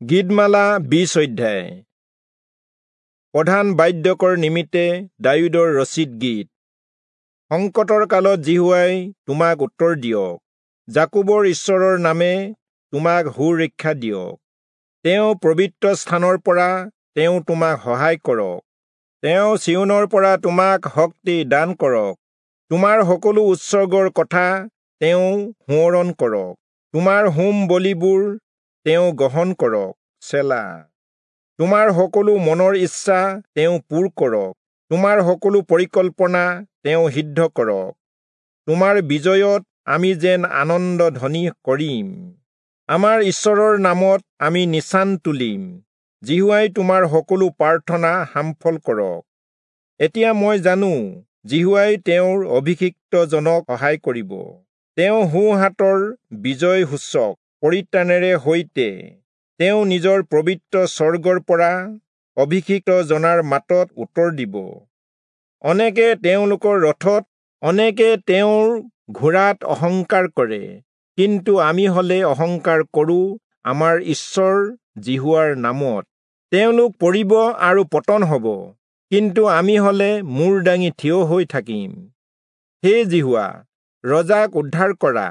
গীতমালা 20 অধ্যায়। প্ৰধান বাদ্যকৰ নিমিত্তে দায়ূদৰ ৰচিত গীত। সংকটৰ কালত যিহোৱাই তোমাক উত্তৰ দিয়ক, যাকোবৰ ঈশ্বৰৰ নামে তোমাক সুৰক্ষা দিয়ক। তেওঁ পবিত্ৰ স্থানৰ পৰা তেওঁ তোমাক সহায় কৰক, তেওঁ চিয়োনৰ পৰা তোমাক শক্তি দান কৰক। তোমাৰ সকলো উৎসৰ্গৰ কথা তেওঁ সোঁৱৰণ কৰক, তোমাৰ হোম বলিবোৰ তেওঁ গ্ৰহণ কৰক। চেলা। তোমাৰ সকলো মনৰ ইচ্ছা তেওঁ পূৰ কৰক, তোমাৰ সকলো পৰিকল্পনা তেওঁ সিদ্ধ কৰক। তোমাৰ বিজয়ত আমি যেন আনন্দ ধ্বনি কৰিম, আমাৰ ঈশ্বৰৰ নামত আমি নিচান তুলিম। যিহোৱাই তোমাৰ সকলো প্ৰাৰ্থনা সাফল কৰক। এতিয়া মই জানো, যিহোৱাই তেওঁৰ অভিষিক্তজনক সহায় কৰিব। তেওঁ সোঁহাতৰ বিজয় সূচক পৰিত্ৰাণেৰে সৈতে তেওঁ নিজৰ পবিত্ৰ স্বৰ্গৰ পৰা অভিষিক্ত জনাৰ মাতত উত্তৰ দিব। অনেকে তেওঁলোকৰ ৰথত, অনেকে তেওঁৰ ঘোঁৰাত অহংকাৰ কৰে, কিন্তু আমি হলে অহংকাৰ কৰোঁ আমাৰ ঈশ্বৰ যিহোৱাৰ নামত। তেওঁলোক পৰিব আৰু পতন হব, কিন্তু আমি হলে মূৰ দাঙি থিয় হৈ থাকিম। হে যিহোৱা, ৰজাক উদ্ধাৰ কৰা,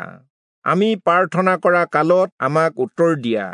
আমি প্ৰাৰ্থনা কৰা কালত আমাক উত্তৰ দিয়া।